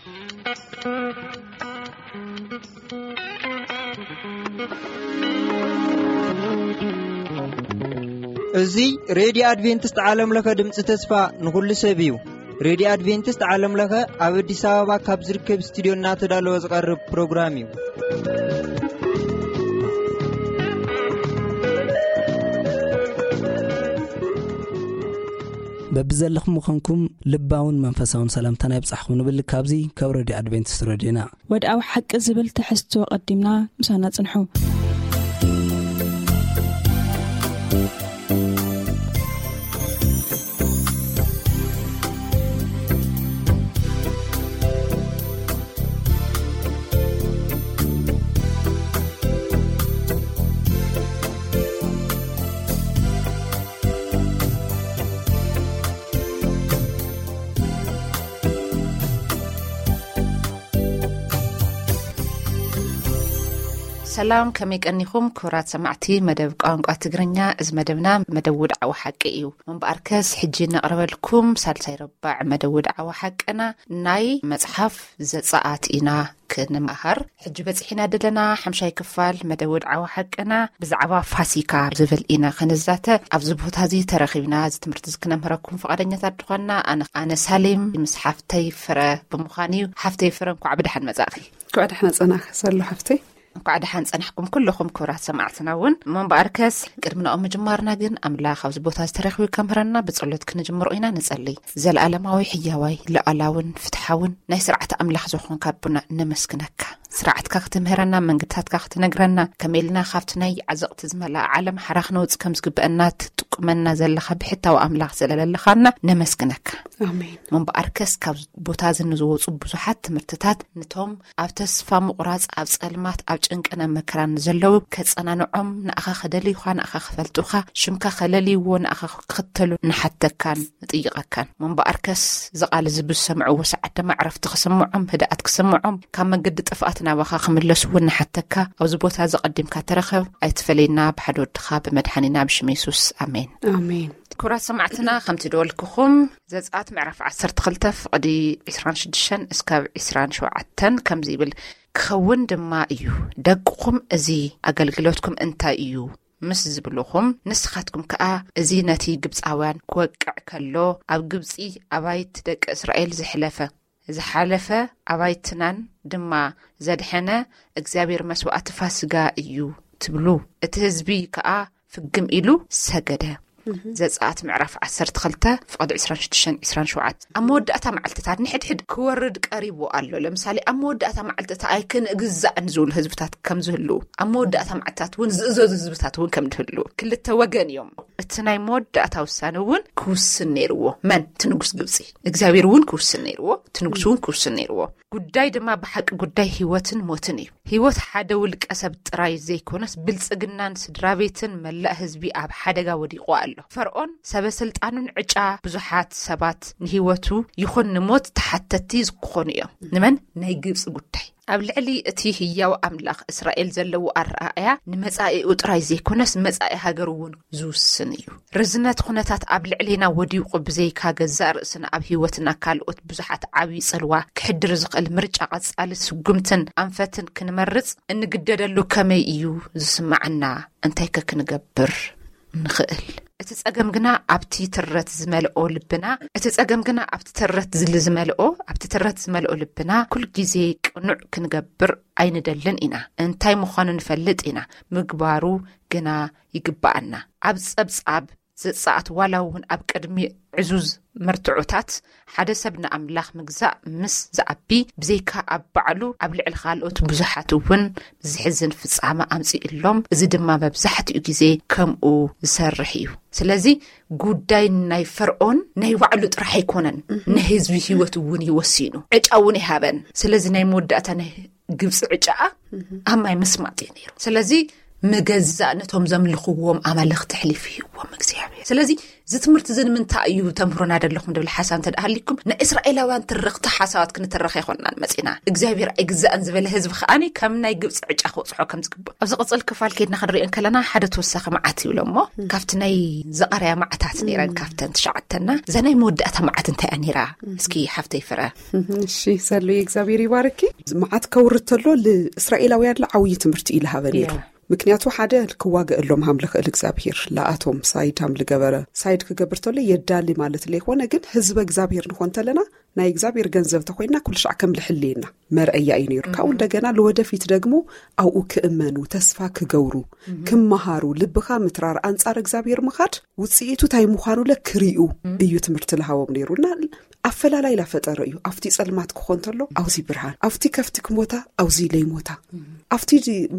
እዚ ሬድዮ ኣድቬንቲስት ዓለም ለኸ ድምፂ ተስፋ ንኹሉ ሰብ እዩ። ሬድዮ ኣድቬንቲስት ዓለም ለኸ ኣብ ኣዲስ ኣበባ ካብ ዝርከብ ስቱዲዮ እናተዳለወ ዝቐርብ ፕሮግራም እዩ። በብዘለኹም ምዃንኩም ልባውን መንፈሳውን ሰላምታና ይብጻሕኩም ንብል። ካብዚ ካብ ሬድዮ ኣድቬንቲስት ሬድዮና። ወድኣዊ ሓቂ ዝብል ትሕዝቶ ቀዲምና ምሳና ጽንሑ። ሰላም፣ ከመይ ቀኒኹም ክቡራት ሰማዕቲ መደብ ቋንቋ ትግርኛ? እዚ መደብና መደብ ውድዓዊ ሓቂ እዩ። እምበኣርከስ ሕጂ ነቕርበልኩም ሳልሳይ ረባዕ መደብ ውድዓዊ ሓቅና ናይ መጽሓፍ ዘጸኣት ኢና ክንመሃር። ሕጂ በጺሕና ደለና ሓምሻይ ክፋል መደብ ውድዓዊ ሓቅና ብዛዕባ ፋሲካ ዝብል ኢና ክንዛተ። ኣብዚ ቦታ እዚ ተረኺብና እዚ ትምህርቲ እዚ ክነምህረኩም ፍቓደኛታት ድኾና ኣነ፣ ኣነ ሳሌም ምስ ሓፍተይ ፍረ ብምዃን እዩ። ሓፍተይ ፍረ እንኳዕ ብደሓን መጻእኺ። እንኳዕ ደሓን ጸናኺ ዘሎ ሓፍተይ። እንኳዕ ደሓን ጸናሕኩም ኩልኹም ክቡራት ሰማዕትና እውን። እሞ እምበኣርከስ ቅድሚ ናኦም ምጅማርና ግን ኣምላኽ ኣብዚ ቦታ ዝተረኽቡ ከምህረና ብጸሎት ክንጅምሮ ኢና። ንጸልይ። ዘለኣለማዊ ሕያዋይ ለኣላውን ፍትሓውን ናይ ስርዓት ኣምላኽ ዝኾንካ ኣቦና ነመስግነካ። ስርዓትካ ክትምህረና መንገድታትካ ክትነግረና ከመይ ኢልና ካብቲ ናይ ዓዘቕቲ ዝመልኣ ዓለም ሓራ ክነውጽእ ከም ዝግበአና ትጥቁመና ዘለኻ ብሕታዊ ኣምላኽ ዘለለለኻና ነመስግነካ። ኣሜን። እምበኣርከስ ካብ ቦታ እዚ ንዝወጹ ብዙሓት ትምህርትታት ነቶም ኣብ ተስፋ ምቑራጽ፣ ኣብ ጸልማት፣ ኣብ ጭንቅን ኣብ መከራን ዘለዉ ከጸናንዖም፣ ንኣኻ ከደልዩኻ፣ ንኣኻ ክፈልጡኻ፣ ሽምካ ከለልይዎ፣ ንኣኻ ክኽተሉ ንሓተካን ንጥይቐካን። እምበኣርከስ እዚ ቃል እዚ ብዝሰምዕዎ ሰዓት ድማ ዕረፍቲ ክስምዖም፣ ህድኣት ክስምዖም፣ ካብ መገዲ ጥፍኣት ናባኻ ክምለሱ እውን ንሓተካ። ኣብዚ ቦታ እዚ ቀዲምካ ተረኸብ፣ ኣይትፈለየና፣ ብሓደ ወድኻ ብመድሓኒና ብሽም የሱስ፣ ኣሜን። ኣሜን። ክቡራት ሰማዕትና፣ ከምቲ ደወልክኹም ዘጸኣት ምዕራፍ ዓሰርተ ክልተ ፍቕዲ ዕስራን ሽዱሽተን እስካብ ዕስራን ሸውዓተን ከምዚ ይብል፣ ክኸውን ድማ እዩ፣ ደቅኹም እዚ ኣገልግሎትኩም እንታይ እዩ ምስ ዝብሉኹም፣ ንስኻትኩም ከኣ እዚ ነቲ ግብጻውያን ክወቅዕ ከሎ ኣብ ግብጺ ኣባይቲ ደቂ እስራኤል ዘሕለፈ፣ ዝሓለፈ ኣባይትናን ድማ ዘድሐነ እግዚኣብሔር መስዋእቲ ፋስጋ እዩ ትብሉ። እቲ ህዝቢ ከኣ ፍግም ኢሉ ሰገደ። ዘጸኣት ምዕራፍ ዓሰርተ ክልተ ፍቕዲ ዕስራን ሽዱሽተን ዕስራን ሸውዓተን። ኣብ መወዳእታ መዓልትታት ንሕድሕድ ክወርድ ቀሪቡ ኣሎ። ለምሳሌ፣ ኣብ መወዳእታ መዓልትታት ኣይክንግዛእን ዝብሉ ህዝብታት ከም ዝህልዉ፣ ኣብ መወዳእታ መዓልትታት እውን ዝእዘዙ ህዝብታት እውን ከም ዝህልዉ፣ ክልተ ወገን እዮም። እቲ ናይ መወዳእታ ውሳነ እውን ክውስን ነይርዎ። መን? እቲ ንጉስ ግብጺ። እግዚኣብሔር እውን ክውስን ነይርዎ፣ እቲ ንጉስ እውን ክውስን ነይርዎ። ጉዳይ ድማ ብሓቂ ጉዳይ ህይወትን ሞትን እዩ። ህይወት ሓደ ውልቀ ሰብ ጥራይ ዘይኮነስ፣ ብልጽግናን ስድራ ቤትን መላእ ህዝቢ ኣብ ሓደጋ ወዲቑ ኣሎ። ፈርዖን፣ ሰበ ስልጣኑን ዕጫ ብዙሓት ሰባት ንህይወቱ ይኹን ንሞት ተሓተቲ ክኾኑ እዮም። ንመን? ናይ ግብጺ ጉዳይ። ኣብ ልዕሊ እቲ ህያው ኣምላኽ እስራኤል ዘለዎ ኣረኣእያ ንመጻኢኡ ጥራይ ዘይኮነስ፣ መጻኢ ሃገሩ እውን ዝውስን እዩ። ርዝነት ኩነታት ኣብ ልዕሌና ወዲቑ ብዘይካ ገዛእ ርእስና ኣብ ህይወትና ካልኦት ብዙሓት ዓብዪ ጽልዋ ክሕድር ዝኽእል ምርጫ ቀጻሊ ስጉምትን ኣንፈትን ክንመርጽ እንግደደሉ ከመይ እዩ ዝስምዓና? እንታይከ ክንገብር ንኽእል? እቲ ጸገም ግና ኣብቲ ትረት ዝመልኦ ልብና፣ እቲ ጸገም ግና ኣብቲ ትረት ዝል ዝመልኦ፣ ኣብቲ ትረት ዝመልኦ ልብና ኩል ግዜ ቅኑዕ ክንገብር ኣይንደልን ኢና። እንታይ ምዃኑ ንፈልጥ ኢና፣ ምግባሩ ግና ይግባኣና። ኣብ ጸብጻብ ዘጻኣት ዋላ እውን ኣብ ቅድሚ ዕዙዝ መርትዖታት ሓደ ሰብ ንኣምላኽ ምግዛእ ምስ ዝዓቢ፣ ብዘይካ ኣብ ባዕሉ ኣብ ልዕሊ ካልኦት ብዙሓት እውን ዝሕዝን ፍጻመ ኣምጺእሎም። እዚ ድማ መብዛሕትኡ ግዜ ከምኡ ዝሰርሕ እዩ። ስለዚ ጉዳይ ናይ ፈርዖን ናይ ባዕሉ ጥራሕ ኣይኮነን፣ ናይ ህዝቢ ህይወት እውን እዩ ወሲኑ። ዕጫ እውን ይሃበን። ስለዚ ናይ መወዳእታ ናይ ግብጺ ዕጫኣ ኣብ ማይ ምስማጥ እዩ ነይሩ። ስለዚ ምገዛእ ነቶም ዘምልኽዎም ኣማልኽቲ ኣሕሊፉ ሂብዎም እግዚኣብሔር። ስለዚ እዚ ትምህርቲ እዚ ንምንታይ እዩ ተምህሮና ደለኹም ድብል ሓሳብ እንተ ደኣ ሃሊኩም፣ ናይ እስራኤላውያን ትርኽቲ ሓሳባት ክንተረኽ ኣይኮንናን መጺና። እግዚኣብሔር ኣይግዛእን ዝበለ ህዝቢ ከኣኒ ከም ናይ ግብፂ ዕጫ ክበፅሖ ከም ዝግባእ ኣብዚ ቅፅል ክፋል ከይድና ክንሪኦ እንከለና ሓደ ተወሳኺ መዓት ይብሎ እሞ፣ ካብቲ ናይ ዘቐርያ መዓታት ነይረን ካብተን ትሽዓተና፣ እዛ ናይ መወዳእታ መዓት እንታይ እያ ነይራ? እስኪ ሓፍተይ ፍረ። እሺ፣ ሰሉየ እግዚኣብሔር ይባርኪ። መዓት ከውርድ ተሎ ንእስራኤላውያን ዓብዪ ትምህርቲ እዩ ዝሃበ ነይሩ። ምክንያቱ ሓደ ክዋገእሎም ሃም ልኽእል እግዚኣብሔር ለኣቶም ሳይድ ሃም ልገበረ፣ ሳይድ ክገብር ተሎ የዳሊ ማለት ለይኮነ፣ ግን ህዝበ እግዚኣብሔር ንኾን ተለና ናይ እግዚኣብሔር ገንዘብ ተኮይና ኩሉ ሻዕ ከም ልሕልየና መርአያ እዩ ነይሩ። ካብኡ እንደገና ለወደፊት ደግሞ ኣብኡ ክእመኑ፣ ተስፋ ክገብሩ፣ ክመሃሩ፣ ልብኻ ምትራር፣ ኣንጻር እግዚኣብሔር ምኻድ ውፅኢቱ እንታይ ምዃኑ ለ ክሪኡ እዩ ትምህርቲ ልሃቦም ነይሩ። እና ኣፈላላይ ላፈጠረ እዩ። ኣብቲ ጸልማት ክኾን ተሎ ኣውዚ ብርሃን፣ ኣብቲ ከፍቲ ክሞታ ኣውዚ ለይሞታ፣ ኣብቲ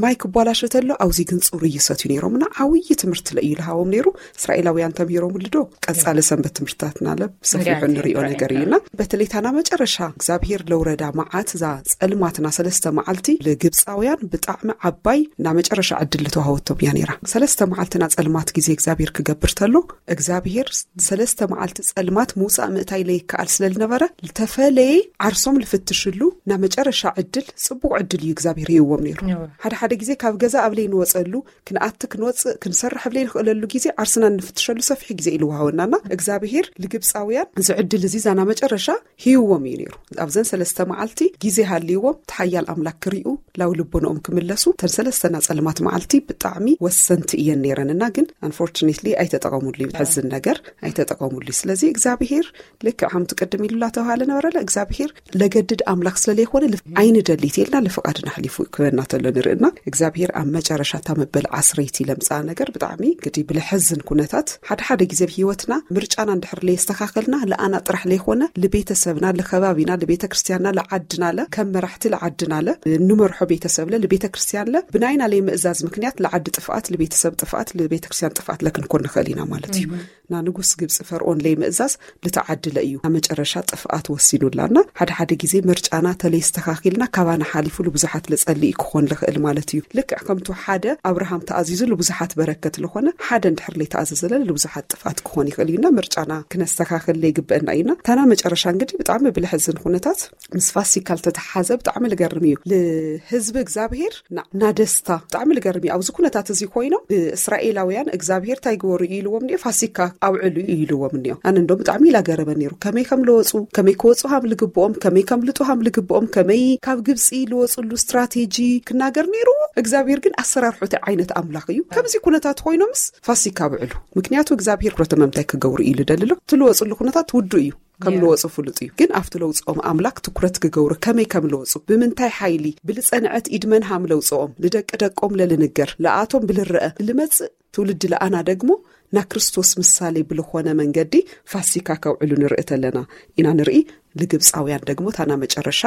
ማይ ክቧላሸ ተሎ ኣውዚ ግን ጽሩይ ይሰትዩ ነይሮም። እና ዓብዪ ትምህርቲ ለ እዩ ልሃቦም ነይሩ። እስራኤላውያን ተምሂሮምሉ ዶ? ቀጻሊ ሰንበት ትምህርትታትና ለ ብሰፊሑ እንሪኦ ነገር እዩና፣ በተለይ ታና መጨረሻ እግዚኣብሔር ለውረዳ መዓት እዛ ጸልማትና ሰለስተ መዓልቲ ልግብፃውያን ብጣዕሚ ዓባይ እና መጨረሻ ዕድል ልተዋሃወቶም እያ ነይራ። ሰለስተ መዓልትና ጸልማት ጊዜ እግዚኣብሔር ክገብር ተሎ እግዚኣብሔር ሰለስተ መዓልቲ ጸልማት ምውጻእ ምእታይ ለይከኣል ስለ ልነበረ፣ ልተፈለየ ዓርሶም ልፍትሽሉ እና መጨረሻ ዕድል፣ ጽቡቕ ዕድል እዩ እግዚኣብሔር ሂብዎም ነይሩ። ሓደ ሓደ ጊዜ ካብ ገዛ ኣብ ለይንወጸሉ፣ ክንኣቲ ክንወጽእ ክንሰርሕ ኣብ ለይንኽእለሉ ጊዜ ዓርስና እንፍትሸሉ ሰፊሕ ጊዜ እዩ ልወሃወናና። እግዚኣብሔር ልግብፃውያን እዚ ዕድል እዚ ዛና መጨረሻ ሂብዎም እዩ ነይሩ። ኣብዘን ሰለስተ መዓልቲ ጊዜ ሃልይዎም እቲ ሓያል ኣምላክ ክሪኡ ላው ልቦንኦም ክምለሱ፣ ተን ሰለስተና ጸልማት መዓልቲ ብጣዕሚ ወሰንቲ እየን ነይረን። እና ግን ኣንፎርቹኔትሊ ኣይተጠቐሙሉ እዩ። ዝሕዝን ነገር ኣይተጠቐሙሉ እዩ። ስለዚ እግዚኣብሔር ልክዕ ከምቲ ቅድም ኢሉ ላተባሃለ ነበረለ እግዚኣብሔር ለገድድ ኣምላክ ስለለይኮነ ልፍ-፣ ኣይንደሊት ኢልና ልፍቃድና ኣሕሊፉ ክበና ተሎ ንርእና። እግዚኣብሔር ኣብ መጨረሻ እታ መበል ዓስረይቲ ለምፅኣ ነገር ብጣዕሚ ግዲ ብለሐዝን ኩነታት ሓደ ሓደ ጊዜ ኣብ ህይወትና ምርጫና እንድሕር ለየስተኻኸልና ለኣና ጥራሕ ለይኮነ ልቤተሰብና፣ ልኸባቢና፣ ልቤተ ክርስቲያንና፣ ልዓድና ለ ከም መራሕቲ ልዓድና ለ ንመርሖ ቤተሰብ ለ ልቤተ ክርስቲያን ለ ብናይና ለይምእዛዝ ምክንያት ልዓዲ ጥፍኣት፣ ልቤተሰብ ጥፍኣት፣ ልቤተ ክርስቲያን ጥፍኣት ለክንኮን ንኽእል ኢና ማለት እዩ። ና ንጉስ ግብፂ ፈርኦን ለይምእዛዝ ልተዓድለ እዩ። ኣብ መጨረሻ ጥፍኣት ወሲኑላና። ሓደ ሓደ ጊዜ ምርጫና ተለይስተኻኺልና ካባና ሓሊፉ ልብዙሓት ልጸልእ ክኾን ልኽእል ማለት እዩ። ልክዕ ከምቱ ሓደ ኣብርሃም ተኣዚዙ ልብዙሓት በረከት ልኾነ፣ ሓደ እንድሕር ለይተኣዘዘለ ልብዙሓት ጥፍኣት ክኾን ይኽእል እዩና ምርጫና ክነስተኻኽል ለይግበአና እዩና። ታና መጨረሻ እንግዲህ ብጣዕሚ ብልሐዝን ኩነታት ምስ ፋሲካ ልተተሓዘ ብጣዕሚ ልገርም እዩ። ልህዝቢ እግዚኣብሔር ና-፣ ናደስታ ብጣዕሚ ልገርም እዩ። ኣብዚ ኩነታት እዚ ኮይኖም ብእስራኤላውያን እግዚኣብሔር እንታይ ግበሩ እዩ ኢልዎም እኒኦ? ፋሲካ ኣብዕሉ እዩ ኢልዎም እኒኦ። ኣነ እንዶ ብጣዕሚ ኢላ ገረመ ነይሩ። ከመይ ከም ልወፁ፣ ከመይ ክወፁ ሃም ልግብኦም፣ ከመይ ከም ልጡ ሃም ልግብኦም፣ ከመይ ካብ ግብፂ ልወፁሉ ስትራቴጂ ክናገር ነይሩ። እግዚኣብሔር ግን ኣሰራርሑ እንታይ ዓይነት ኣምላኽ እዩ? ከምዚ ኩነታት ኮይኖምስ ፋሲካ ኣብዕሉ። ምክንያቱ እግዚኣብሔር ኩረተ መምታይ ክገብሩ እዩ ልደልሎ። ትልወፁሉ ኩነታት ውዱ እዩ። ከም ልወፁ ፍሉጥ እዩ። ግን ኣብቲ ለውፅኦም ኣምላክ ትኩረት ክገብሩ ከመይ ከም ለውፁ፣ ብምንታይ ሓይሊ፣ ብልፀንዐት ኢድመን ሃም ለውፅኦም፣ ልደቂ ደቆም ለልንገር፣ ለኣቶም ብልረአ፣ ልመፅእ ትውልዲ ለኣና ደግሞ ና ክርስቶስ ምሳሌ ብልኾነ መንገዲ ፋሲካ ከውዕሉ ንርኢ ተለና ኢና ንርኢ። ልግብፃውያን ደግሞ ታና መጨረሻ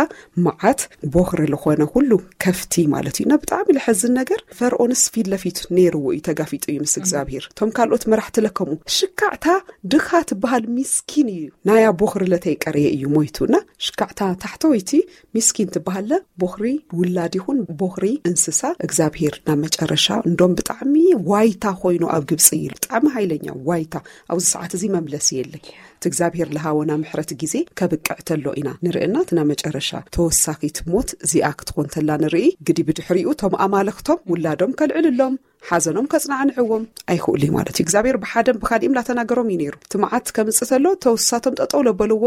መዓት ቦኽሪ ልኾነ ኩሉ ከፍቲ ማለት እዩ። እና ብጣዕሚ ልሐዝን ነገር ፈርኦንስ ፊት ለፊት ነይርዎ እዩ፣ ተጋፊጡ እዩ ምስ እግዚኣብሔር። እቶም ካልኦት መራሕቲ ለከሙ ሽካዕታ ድኻ ትበሃል ሚስኪን እዩ። ናያ ቦኽሪ ለተይቀረየ እዩ ሞይቱ። እና ሽካዕታ ታሕተወይቲ ሚስኪን ትበሃለ ቦኽሪ ውላድ ይኹን ቦኽሪ እንስሳ እግዚኣብሔር ናብ መጨረሻ እንዶም ብጣዕሚ ዋይታ ኮይኑ ኣብ ግብፂ እዩ። ብጣዕሚ ሃይለኛ ዋይታ። ኣብዚ ሰዓት እዚ መምለሲ የለይ። እቲ እግዚኣብሔር ለሃወና ምሕረት ጊዜ ከብቅዕ ተሎ ኢና ንርእና። እቲ ናብ መጨረሻ ተወሳኺት ሞት እዚኣ ክትኾን ተላ ንርኢ። ግዲ ብድሕሪኡ እቶም ኣማልኽቶም ውላዶም ከልዕልሎም፣ ሓዘኖም ከጽናዕንዕዎም ኣይኽእሉ እዩ ማለት እዩ። እግዚኣብሔር ብሓደም ብኻሊእም ላተናገሮም እዩ ነይሩ። እቲ መዓት ከምጽእ ተሎ ተውሳቶም ጠጠው ለበልዎ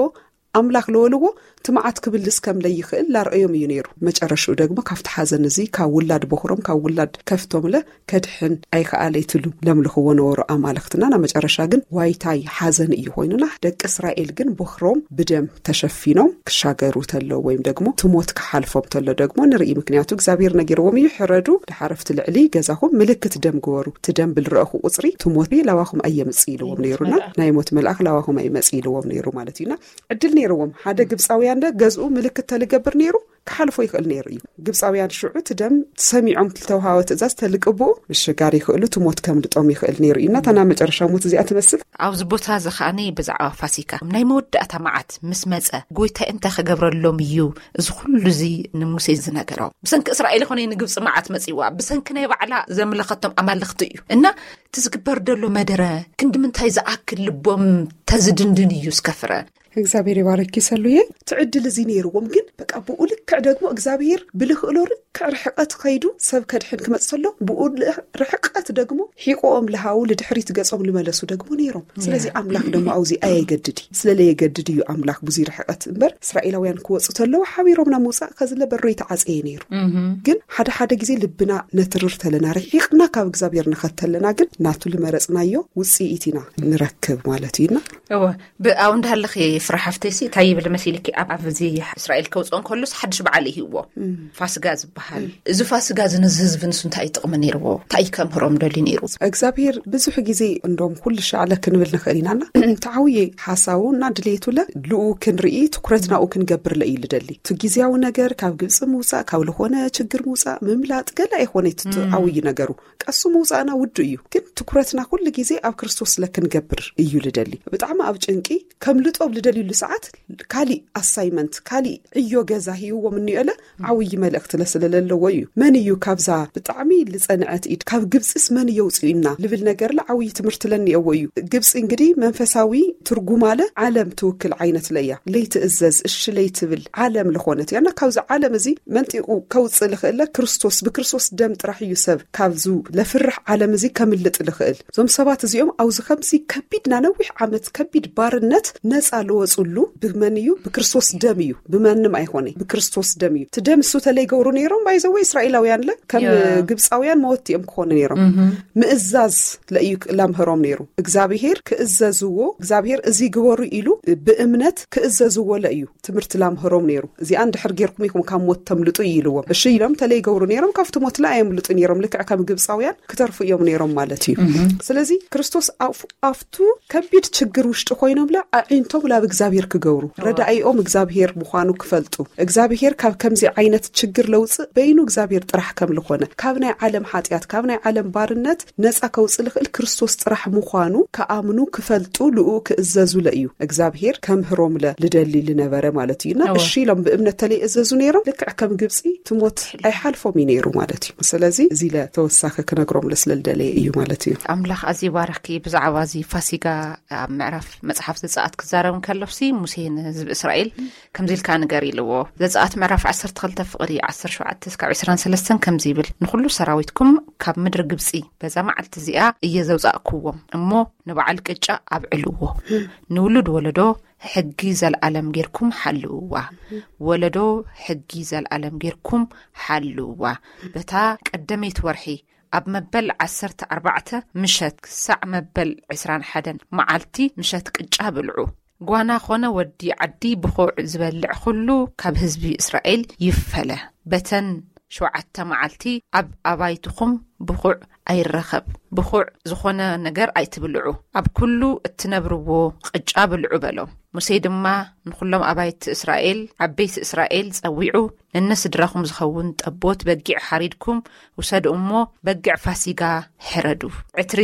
ኣምላኽ ለወልዎ እቲ መዓት ክብልስ ከም ለይኽእል ላርአዮም እዩ ነይሩ። መጨረሽኡ ደግሞ ካብቲ ሓዘን እዚ ካብ ውላድ ቦኽሮም ካብ ውላድ ከፍቶም ለ ከድሕን ኣይከኣለ ይትሉ ለምልኽዎ ነበሩ ኣማልኽትና። ናብ መጨረሻ ግን ዋይታይ ሓዘን እዩ ኮይኑና። ደቂ እስራኤል ግን ቦኽሮም ብደም ተሸፊኖም ክሻገሩ ተሎ ወይም ደግሞ ትሞት ክሓልፎም ተሎ ደግሞ ንርኢ። ምክንያቱ እግዚኣብሔር ነጊርዎም እዩ፣ ሕረዱ፣ ድሓረፍቲ ልዕሊ ገዛኹም ምልክት ደም ግበሩ፣ እቲ ደም ብልረእኹ ቁፅሪ ትሞት ላባኹም ኣየምፅ ኢልዎም ነይሩና። ናይ ሞት መልኣኽ ላባኹም ኣይመፅ ኢልዎም ነይሩ ማለት እዩና። ዕድል ነይርዎም። ሓደ ግብፃውያን ደ ገዝኡ ምልክት ተልገብር ነይሩ ክሓልፎ ይኽእል ነይሩ እዩ። ግብፃውያን ሽዑ እቲ ደም ሰሚዖም፣ ዝተውሃወ ትእዛዝ ተልቅብኡ ምሽጋር ይኽእሉ፣ እቲ ሞት ከምልጦም ይኽእል ነይሩ እዩ። እናታ ናብ መጨረሻ ሞት እዚኣ ትመስል። ኣብዚ ቦታ እዚ ከዓኒ ብዛዕባ ፋሲካ ናይ መወዳእታ መዓት ምስ መጸ፣ ጎይታ እንታይ ክገብረሎም እዩ እዚ ኩሉ እዚ ንሙሴ ዝነገሮ? ብሰንኪ እስራኤል ይኾነ ንግብፂ መዓት መጺዋ፣ ብሰንኪ ናይ ባዕላ ዘምለኸቶም ኣማልኽቲ እዩ። እና እቲ ዝግበር ደሎ መደረ ክንዲ ምንታይ ዝኣክል ልቦም ተዝድንድን እዩ ዝከፍረ። እግዚኣብሔር ይባረኪ ሰሉየ። ትዕድል እዚ ነይርዎም፣ ግን በቃ ብኡ ልክዕ ደግሞ እግዚኣብሔር ብልኽእሎ ርክዕ ርሕቀት ኸይዱ ሰብ ከድሕን ክመጽእ ከሎ፣ ብኡ ርሕቀት ደግሞ ሒቆኦም ልሃው ልድሕሪት ገጾም ልመለሱ ደግሞ ነይሮም። ስለዚ ኣምላኽ ደሞ ኣውዚ ኣየገድድ እዩ። ስለ ለየገድድ እዩ ኣምላኽ ብዙይ ርሕቀት እምበር፣ እስራኤላውያን ክወጹ ተለዉ ሓቢሮም ናብ ምውጻእ ከዝለ በሮ ይተዓጸየ ነይሩ። ግን ሓደ ሓደ ግዜ ልብና ነትርር ተለና፣ ርሒቕና ካብ እግዚኣብሔር ንኸተለና ግን ናቱ ልመረጽናዮ ውጽኢት ኢና ንረክብ ማለት እዩና። እወ። ብኣው እንዳሃለኺ ፍረ ሓፍተይሲ እንታይ ይብል መሲልኪ? ኣብ ኣብዚ እስራኤል ከውፅኦ እንከሎስ ሓድሽ በዓል ይህዎ፣ ፋስጋ ዝበሃል። እዚ ፋስጋ እዚ ንዚ ህዝቢ ንሱ እንታይ ጥቕሚ ነይርዎ? እንታይ ከምህሮም ደልዩ ነይሩ? እግዚኣብሔር ብዙሕ ግዜ እንደም ኩሉ ሻዕለ ክንብል ንኽእል ኢናና፣ ተዓውየ ሓሳቡ እና ድሌቱ ለ ልኡ ክንርኢ፣ ትኩረት ናኡ ክንገብር ለ እዩ ልደሊ። እቲ ግዜያዊ ነገር ካብ ግብፂ ምውፃእ፣ ካብ ዝኾነ ችግር ምውፃእ፣ ምምላጥ ገለ ኣይኾነ እቲ ዓብይ ነገሩ። ቀሱ ምውፃእና ውዱ እዩ፣ ግን ትኩረትና ኩሉ ግዜ ኣብ ክርስቶስ ለክንገብር እዩ ልደሊ። ብጣዕሚ ኣብ ጭንቂ ከምልጦ ኣብ ልደልዩሉ ሰዓት ካሊእ ኣሳይመንት፣ ካሊእ ዕዮ ገዛ ሂውዎም እንዮለ ዓብይ መልእክቲ ለስለለለዎ እዩ። መን እዩ ካብዛ ብጣዕሚ ልፀንዐት ኢድ ካብ ግብፅስ መን እየውፅኡና ልብል ነገርለ ዓብይ ትምህርቲ ለኒኦዎ እዩ። ግብፂ እንግዲህ መንፈሳዊ ትርጉም ኣለ ዓለም ትውክል ዓይነት ለያ። ለይትእዘዝ፣ እሺ ለይትብል ዓለም ልኾነት እያ። እና ካብዚ ዓለም እዚ መንጢቑ ከውፅእ ልኽእለ ክርስቶስ፣ ብክርስቶስ ደም ጥራሕ እዩ ሰብ ካብዙ ለፍርሕ ዓለም እዚ ከምልጥ ልኽእል። እዞም ሰባት እዚኦም ኣውዚ ከምዚ ከቢድ ናነዊሕ ዓመት ከቢድ ባርነት ነፃ ልወፁሉ ብመን እዩ? ብክርስቶስ ደም እዩ። ብመንም ኣይኾነ፣ ብክርስቶስ ደም እዩ። እቲ ደም እሱ ተለይገብሩ ነይሮም ባይዘወ እስራኤላውያን ለ ከም ግብፃውያን መወቲ እዮም ክኾኑ ነይሮም። ምእዛዝ ለእዩ ላምህሮም ነይሩ። እግዚኣብሔር ክእዘዝዎ፣ እግዚኣብሔር እዚ ግበሩ ኢሉ ብእምነት ክእዘዝዎ ለእዩ ትምህርቲ ላምህሮም ነይሩ። እዚኣ እንድሕር ጌርኩም ኢኹም ካብ ሞት ተምልጡ እዩ ኢልዎም። እሺ ኢሎም ተለይገብሩ ነይሮም፣ ካብቲ ሞት ለ ኣየምልጡ ነይሮም። ልክዕ ከም ግብፃውያን ክተርፉ እዮም ነይሮም ማለት እዩ። ስለዚ ክርስቶስ ኣፍ-፣ ኣብቱ ከቢድ ችግር ውሽጢ ኮይኖም ለ ኣዒንቶም ላብ እግዚኣብሔር ክገብሩ፣ ረዳኢኦም እግዚኣብሔር ምዃኑ ክፈልጡ፣ እግዚኣብሔር ካብ ከምዚ ዓይነት ችግር ለውፅእ በይኑ እግዚኣብሔር ጥራሕ ከም ልኾነ፣ ካብ ናይ ዓለም ሓጢኣት፣ ካብ ናይ ዓለም ባርነት ነፃ ከውፅእ ልኽእል ክርስቶስ ጥራሕ ምዃኑ ክኣምኑ፣ ክፈልጡ፣ ልኡ ክእዘዙ ለ እዩ እግዚኣብሔር ከምህሮም ለ ልደሊ ልነበረ ማለት እዩ። እና እሺ ኢሎም ብእምነት ተለይ እዘዙ ነይሮም። ልክዕ ከም ግብፂ ትሞት ኣይሓልፎም እዩ ነይሩ ማለት እዩ። ስለዚ እዚ ለ ተወሳኺ ክነግሮም ለ ስለ ልደለየ እዩ ማለት እዩ። ኣምላኽ ኣዝዩ ባረኽኪ። ብዛዕባ እዚ ፋሲጋ ኣብ ምዕራፍ መጽሓፍ ዘጸኣት ክዛረብ እንከሎሲ፣ ሙሴ ንህዝቢ እስራኤል ከምዚ ኢልካ ንገር ኢልዎ። ዘጸኣት ምዕራፍ ዓሰርተ ክልተ ፍቕዲ ዓሰርተ ሸውዓተ እስካብ ዕስራን ሰለስተን ከምዚ ይብል፣ "ንኹሉ ሰራዊትኩም ካብ ምድሪ ግብጺ በዛ መዓልቲ እዚኣ እየ ዘውጻእክዎም እሞ፣ ንበዓል ቅጫ ኣብዕልዎ፣ ንውሉድ ወለዶ ሕጊ ዘልኣለም ጌርኩም ሓልውዋ፣ ወለዶ ሕጊ ዘልኣለም ጌርኩም ሓልውዋ። በታ ቀደመይቲ ወርሒ ኣብ መበል ዓሰርተ ኣርባዕተ ምሸት ክሳዕ መበል ዕስራን ሓደን መዓልቲ ምሸት ቅጫ ብልዑ። ጓና ኾነ ወዲ ዓዲ ብኹዕ ዝበልዕ ኹሉ ካብ ህዝቢ እስራኤል ይፈለ። በተን ሸውዓተ መዓልቲ ኣብ ኣባይትኹም ብኹዕ ኣይረኸብ፣ ብኹዕ ዝኾነ ነገር ኣይትብልዑ፣ ኣብ ኩሉ እትነብርዎ ቅጫ ብልዑ" በሎም። ሙሴ ድማ ንኹሎም ኣባይቲ እስራኤል፣ ዓበይቲ እስራኤል ጸዊዑ፣ "ነነስድራኹም ዝኸውን ጠቦት በጊዕ ሓሪድኩም ውሰዱ እሞ፣ በጊዕ ፋሲጋ ሕረዱ። ዕትሪ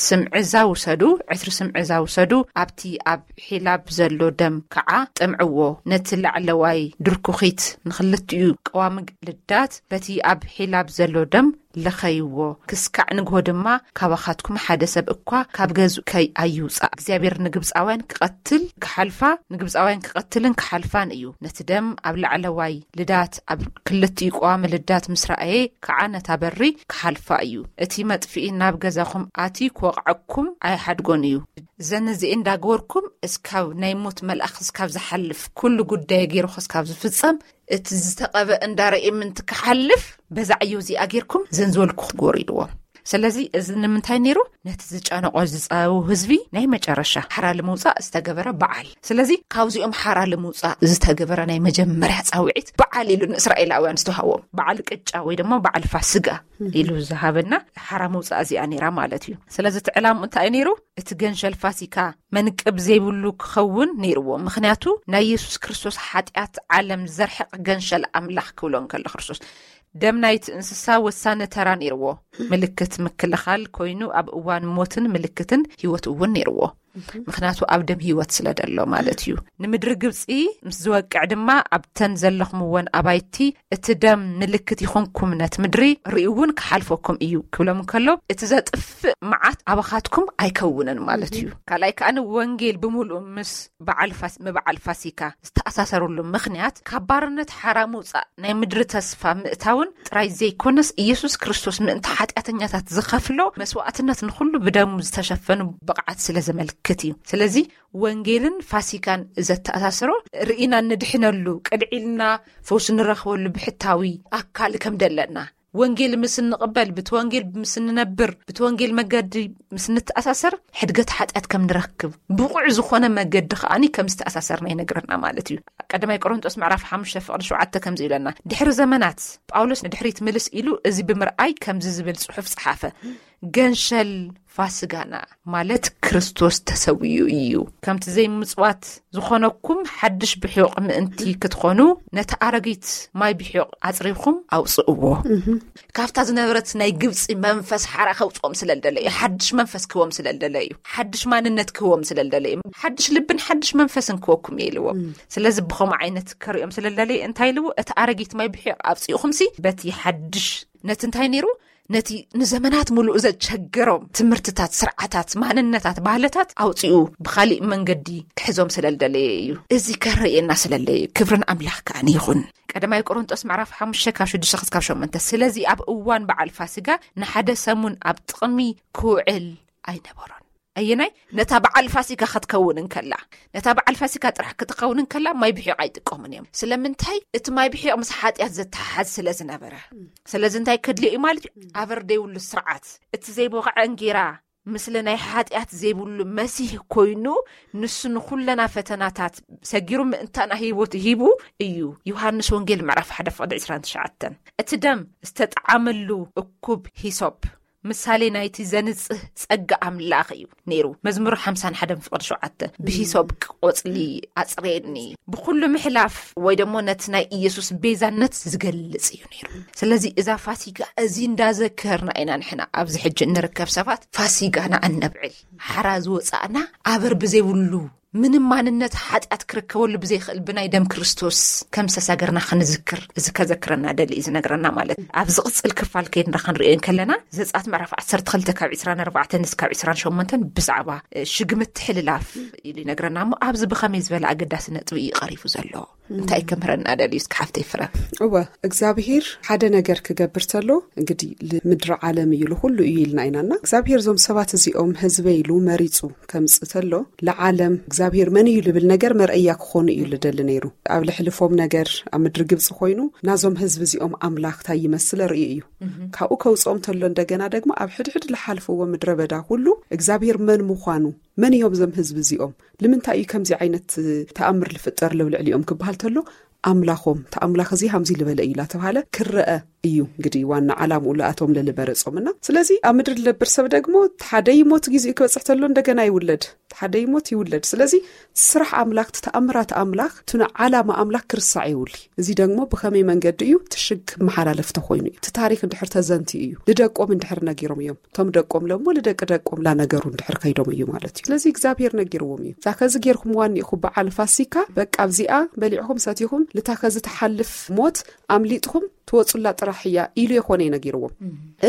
ስምዕዛ ውሰዱ፣ ዕትሪ ስምዕዛ ውሰዱ፣ ኣብቲ ኣብ ሒላብ ዘሎ ደም ከዓ ጥምዕዎ፣ ነቲ ላዕለዋይ ድርኩኺት ንኽልቲኡ ቀዋሚ ልዳት በቲ ኣብ ሒላብ ዘሎ ደም ልኸይዎ፣ ክስካዕ ንግሆ ድማ ካባኻትኩም ሓደ ሰብ እኳ ካብ ገዝኡ ከይ-፣ ኣይውጻእ። እግዚኣብሔር ንግብጻውያን ክቐትል ክሓልፋ፣ ንግብጻውያን ክቐትልን ክሓልፋን እዩ። ነቲ ደም ኣብ ላዕለዋይ ልዳት ኣብ ክልቲኡ ቀዋሚ ልዳት ምስ ረኣየ ከዓ ነታ በሪ ክሓልፋ እዩ። እቲ መጥፍኢ ናብ ገዛኹም ኣትዩ ክወቕዐኩም ኣይሓድጎን እዩ። ዘን እዚኤ እንዳገበርኩም እስካብ ናይ ሞት መልኣኽ እስካብ ዝሓልፍ፣ ኩሉ ጉዳይ ገይሩ እስካብ ዝፍጸም፣ እቲ ዝተቐበ እንዳረኤ ምንቲ ክሓልፍ፣ በዛ ዕዮ እዚኣ ጌርኩም ዘን ዝበልኩ ክግበሩ" ኢልዎም። ስለዚ እዚ ንምንታይ ነይሩ? ነቲ ዝጨነቆ ዝፀው ህዝቢ ናይ መጨረሻ ሓራ ንምውፃእ ዝተገበረ በዓል። ስለዚ ካብዚኦም ሓራ ንምውፃእ ዝተገበረ ናይ መጀመርያ ፃውዒት በዓል ኢሉ ንእስራኤላውያን ዝተዋሃቦም በዓል ቅጫ ወይ ድማ በዓል ፋስጋ ኢሉ ዝሃበና ሓራ ምውፃእ እዚኣ ነይራ ማለት እዩ። ስለዚ እቲ ዕላምኡ እንታይ ነይሩ? እቲ ገንሸል ፋሲካ መንቅብ ዘይብሉ ክኸውን ነይርዎ። ምኽንያቱ ናይ የሱስ ክርስቶስ ሓጢኣት ዓለም ዘርሕቕ ገንሸል ኣምላኽ ክብሎ እንከሎ ክርስቶስ ደም ናይቲ እንስሳ ወሳኒ ተራ ነይርዎ። ምልክት ምክልኻል ኮይኑ ኣብ እዋን ሞትን ምልክትን ህይወት እውን ነይርዎ። ምኽንያቱ ኣብ ደም ህይወት ስለ ደሎ ማለት እዩ። ንምድሪ ግብፂ ምስ ዝወቅዕ ድማ ኣብተን ዘለኹምወን ኣባይቲ እቲ ደም ምልክት ይኹንኩም፣ ነቲ ምድሪ ርእዩ እውን ክሓልፈኩም እዩ ክብሎም እንከሎ እቲ ዘጥፍእ መዓት ኣባኻትኩም ኣይከውንን ማለት እዩ። ካልኣይ ከኣ ወንጌል ብምሉእ ምስ በዓል ፋስ-፣ ምብዓል ፋሲካ ዝተኣሳሰሩሉ ምኽንያት ካብ ባርነት ሓራ ምውፃእ ናይ ምድሪ ተስፋ ምእታውን ጥራይ ዘይኮነስ ኢየሱስ ክርስቶስ ምእንቲ ሓጢኣተኛታት ዝኸፍሎ መስዋዕትነት ንኹሉ ብደሙ ዝተሸፈኑ ብቕዓት ስለ ዘመልክት እዩ። ስለዚ ወንጌልን ፋሲካን ዘተኣሳስሮ ርኢና እንድሕነሉ ቅድዒልና ፈውሲ ንረኽበሉ ብሕታዊ ኣካል ከም ደለና ወንጌል ምስ እንቕበል ብቲ ወንጌል ምስ እንነብር ብቲ ወንጌል መገዲ ምስ እንተኣሳሰር ሕድገት ሓጢኣት ከም ንረክብ ብቑዕ ዝኾነ መገዲ ከኣኒ ከም ዝተኣሳሰርና ይነግረና ማለት እዩ። ቀዳማይ ቆሮንጦስ ምዕራፍ ሓሙሽተ ፍቕዲ ሸውዓተ ከምዚ ይብለና፣ ድሕሪ ዘመናት ጳውሎስ ንድሕሪት ምልስ ኢሉ እዚ ብምርኣይ ከምዚ ዝብል ጽሑፍ ጸሓፈ፣ ገንሸል ፋስጋና ማለት ክርስቶስ ተሰዊኡ እዩ። ከምቲ ዘይምጽዋት ዝኾነኩም ሓድሽ ብሕዮቕ ምእንቲ ክትኾኑ ነቲ ኣረጊት ማይ ብሕዮቕ ኣጽሪኹም ኣውጽእዎ። ካብታ ዝነበረት ናይ ግብፂ መንፈስ ሓራ ከውፅኦም ስለ ዝደለ እዩ። ሓድሽ መንፈስ ክህቦም ስለ ዝደለ እዩ። ሓድሽ ማንነት ክህቦም ስለ ዝደለ እዩ። ሓድሽ ልብን ሓድሽ መንፈስን ክህበኩም እየ ኢልዎ። ስለዚ ብኸምኡ ዓይነት ከርእዮም ስለ ዝደለ እንታይ ኢልዎ? እቲ ኣረጊት ማይ ብሕዮቕ ኣውፅእኹምሲ በቲ ሓድሽ፣ ነቲ እንታይ ነይሩ? ነቲ ንዘመናት ሙሉእ ዘቸገሮም ትምህርትታት፣ ስርዓታት፣ ማንነታት፣ ባህልታት ኣውፂኡ ብኻሊእ መንገዲ ክሕዞም ስለ ዝደለየ እዩ። እዚ ከርእየና ስለ ዝደለየ እዩ። ክብርን ኣምላኽ ከኣ ይኹን። ቀዳማይ ቆሮንጦስ ምዕራፍ ሓሙሽተ ካብ ሽዱሽተ ክሳብ ሸሞንተ። ስለዚ ኣብ እዋን በዓል ፋሲጋ ንሓደ ሰሙን ኣብ ጥቕሚ ክውዕል ኣይነበሮን። ኣየናይ? ነታ በዓል ፋሲጋ ክትከውን እንከላ፣ ነታ በዓል ፋሲጋ ጥራሕ ክትከውን እንከላ ማይ ብሒቕ ኣይጥቀሙን እዮም። ስለምንታይ? እቲ ማይ ብሒቕ ምስ ሓጢኣት ዘተሓሓዝ ስለ ዝነበረ። ስለዚ እንታይ ከድልዮ እዩ ማለት እዩ? ኣበር ዘይብሉ ስርዓት፣ እቲ ዘይቦቕዐ እንጌራ፣ ምስሊ ናይ ሓጢኣት ዘይብሉ መሲህ ኮይኑ፣ ንሱ ንኹለና ፈተናታት ሰጊሩ ምእንታና ህይወት ሂቡ እዩ። ዮሃንስ ወንጌል ምዕራፍ ሓደ ፍቕዲ ዕስራን ትሽዓተን። እቲ ደም ዝተጠዓመሉ እኩብ ሂሶፕ ምሳሌ ናይቲ ዘንጽህ ጸጋ ኣምላኽ እዩ ነይሩ። መዝሙር ሓምሳን ሓደን ፍቕዲ ሸውዓተ፣ ብሂሶፕ ቆጽሊ ኣጽርየኒ። ብኹሉ ምሕላፍ ወይ ደሞ ነቲ ናይ ኢየሱስ ቤዛነት ዝገልጽ እዩ ነይሩ። ስለዚ እዛ ፋሲጋ እዚ እንዳዘከርና ኢና ንሕና ኣብዚ ሕጂ እንርከብ ሰባት ፋሲጋና እነብዕል። ሓራ ዝወጻእና ኣበር ብዘይብሉ ምንም ማንነት ሓጢኣት ክርከበሉ ብዘይኽእል ብናይ ደም ክርስቶስ ከም ዝተሳገርና ክንዝክር፣ እዚ ከዘክረና ደሊ እዩ ዝነግረና ማለት። ኣብ ዝቕጽል ክፋል ከይድና ክንርእዮ እንከለና፣ ዘጸኣት ምዕራፍ ዓሰርተ ክልተ ካብ ዕስራን ኣርባዕተን እስካብ ዕስራን ሸሞንተን ብዛዕባ፣ እ፣ ሽግምቲ ሕልላፍ ኢሉ ይነግረና እሞ፣ ኣብዚ ብኸመይ ዝበለ ኣገዳሲ ነጥቢ እዩ ቀሪፉ ዘሎ? እንታይ ከምህረና ደልዩ እስኪ ሓፍተይ ፍረ? እወ፣ እግዚኣብሄር ሓደ ነገር ክገብር ተሎ፣ እንግዲህ ል-፣ ምድሪ ዓለም እዩ፣ ንኹሉ እዩ ኢልና ኢናና። እግዚኣብሄር እዞም ሰባት እዚኦም ህዝበይ ኢሉ መሪጹ ከምጽእ ተሎ፣ ለዓለም እግዚኣብሄር መን እዩ ልብል ነገር መርኣያ ክኾኑ እዩ ልደሊ ነይሩ። ኣብ ልሕልፎም ነገር ኣብ ምድሪ ግብጺ ኮይኑ፣ ናዞም ህዝቢ እዚኦም ኣምላኽ ታይ ይመስል ርእዩ እዩ። ካብኡ ከውጽኦም ተሎ፣ እንደገና ደግሞ ኣብ ሕድሕድ ልሓልፍዎ ምድረ በዳ ኩሉ እግዚኣብሄር መን ምዃኑ፣ መን እዮም እዞም ህዝቢ እዚኦም፣ ልምንታይ እዩ ከምዚ ዓይነት ተኣምር ልፍጠር ለው ልዕሊኦም ክበሃል ተሎ፣ ኣምላኾም፣ እቲ ኣምላኽ እዚ ሃምዚ ልበለ እዩ ላተባሃለ ክረአ እዩ። እንግዲህ ዋና ዓላምኡ ለኣቶም ለልበረጾምና። ስለዚ ኣብ ምድሪ ልነብር ሰብ ደግሞ፣ እቲ ሓደ ይሞት፣ ጊዜኡ ክበጽሕ ተሎ እንደገና ይውለድ፣ እቲ ሓደ ይሞት ይውለድ። ስለዚ ስራሕ ኣምላኽ፣ እቲ ተኣምራት ኣምላኽ፣ እቲ ንዓላማ ኣምላኽ ክርሳዕ የብሉ። እዚ ደግሞ ብኸመይ መንገዲ እዩ? እቲ ሽግ መሓላለፍ ተኾይኑ እዩ። እቲ ታሪኽ እንድሕር ተዘንትዩ እዩ። ልደቆም እንድሕር ነጊሮም እዮም። እቶም ደቆም ለሞ ልደቂ ደቆም ላነገሩ እንድሕር ከይዶም እዩ ማለት እዩ። ስለዚ እግዚኣብሔር ነጊርዎም እዩ። እዛ ከዚ ጌርኩምዋ እኒኢኹ በዓል ፋሲካ፣ በቃ ኣብዚኣ በሊዕኹም ሰቲኹም ልታ ከዚ ትሓልፍ ሞት ኣምሊጥኹም ትወጹላ ጥራሕ እያ ኢሉ የኾነ እዩ ነጊርዎም።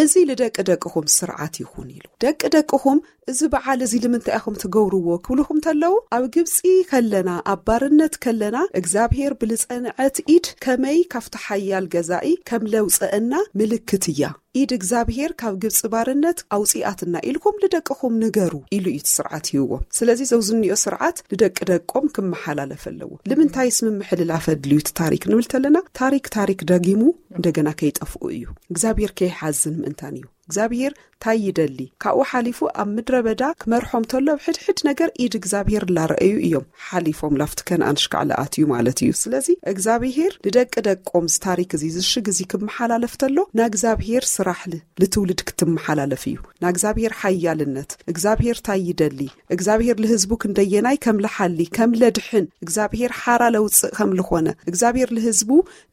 እዚ ልደቂ ደቅኹም ስርዓት ይኹን ኢሉ። ደቂ ደቅኹም እዚ በዓል እዚ ልምንታይ ኢኹም ትገብርዎ ክብልኹም ተለዉ፣ ኣብ ግብጺ ከለና፣ ኣብ ባርነት ከለና፣ እግዚኣብሔር ብልጸንዐት ኢድ ከመይ ካብቲ ሓያል ገዛኢ ከም ለውጸአና ምልክት እያ። ኢድ እግዚኣብሔር ካብ ግብጺ ባርነት ኣውጺኣትና ኢልኩም ልደቅኹም ንገሩ ኢሉ እዩ እቲ ስርዓት ይህቦም። ስለዚ ዘውዝኒኦ ስርዓት ንደቂ ደቆም ክመሓላለፍ ኣለዎ። ልምንታይስ ምምሕልላፍ ኣድልዩ እቲ ታሪክ ንብል ተለና፣ ታሪክ ታሪክ ደጊሙ እንደገና ከይጠፍኡ እዩ። እግዚኣብሔር ከይሓዝን ምእንታን እዩ። እግዚኣብሔር እንታይ ይደሊ? ካብኡ ሓሊፉ ኣብ ምድረ በዳ ክመርሖም ተሎ ኣብ ሕድሕድ ነገር ኢድ እግዚኣብሔር ላረኣዩ እዮም ሓሊፎም ላፍቲ ከነኣን ሽካዕ ለኣትዩ ማለት እዩ። ስለዚ እግዚኣብሔር ንደቂ ደቆም እዚ ታሪክ እዚ ዝሽግ እዚ ክመሓላለፍ ተሎ ናእግዚኣብሔር ስራሕ ል- ልትውልድ ክትመሓላለፍ እዩ። ናእግዚኣብሔር ሓያልነት እግዚኣብሔር እንታይ ይደሊ? እግዚኣብሔር ልህዝቡ ክንደየናይ ከም ልሓሊ ከም ለድሕን እግዚኣብሔር ሓራ ለውፅእ ከም ልኾነ እግዚኣብሔር ልህዝቡ